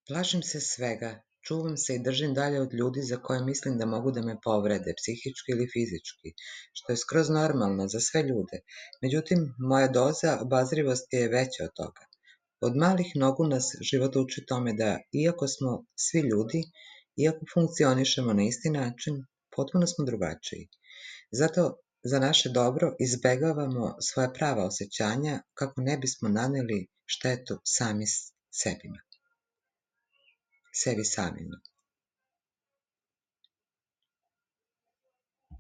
Plašim se svega, čuvam se i držim dalje od ljudi za koje mislim da mogu da me povrede, psihički ili fizički, što je skroz normalno za sve ljude. Međutim, moja doza obazrivosti je veća od toga. Od malih nogu nas život uči tome da, iako smo svi ljudi, iako funkcionišemo na isti način, potpuno smo drugačiji. Zato za naše dobro izbegavamo svoja prava osjećanja kako ne bismo naneli štetu sebi samima.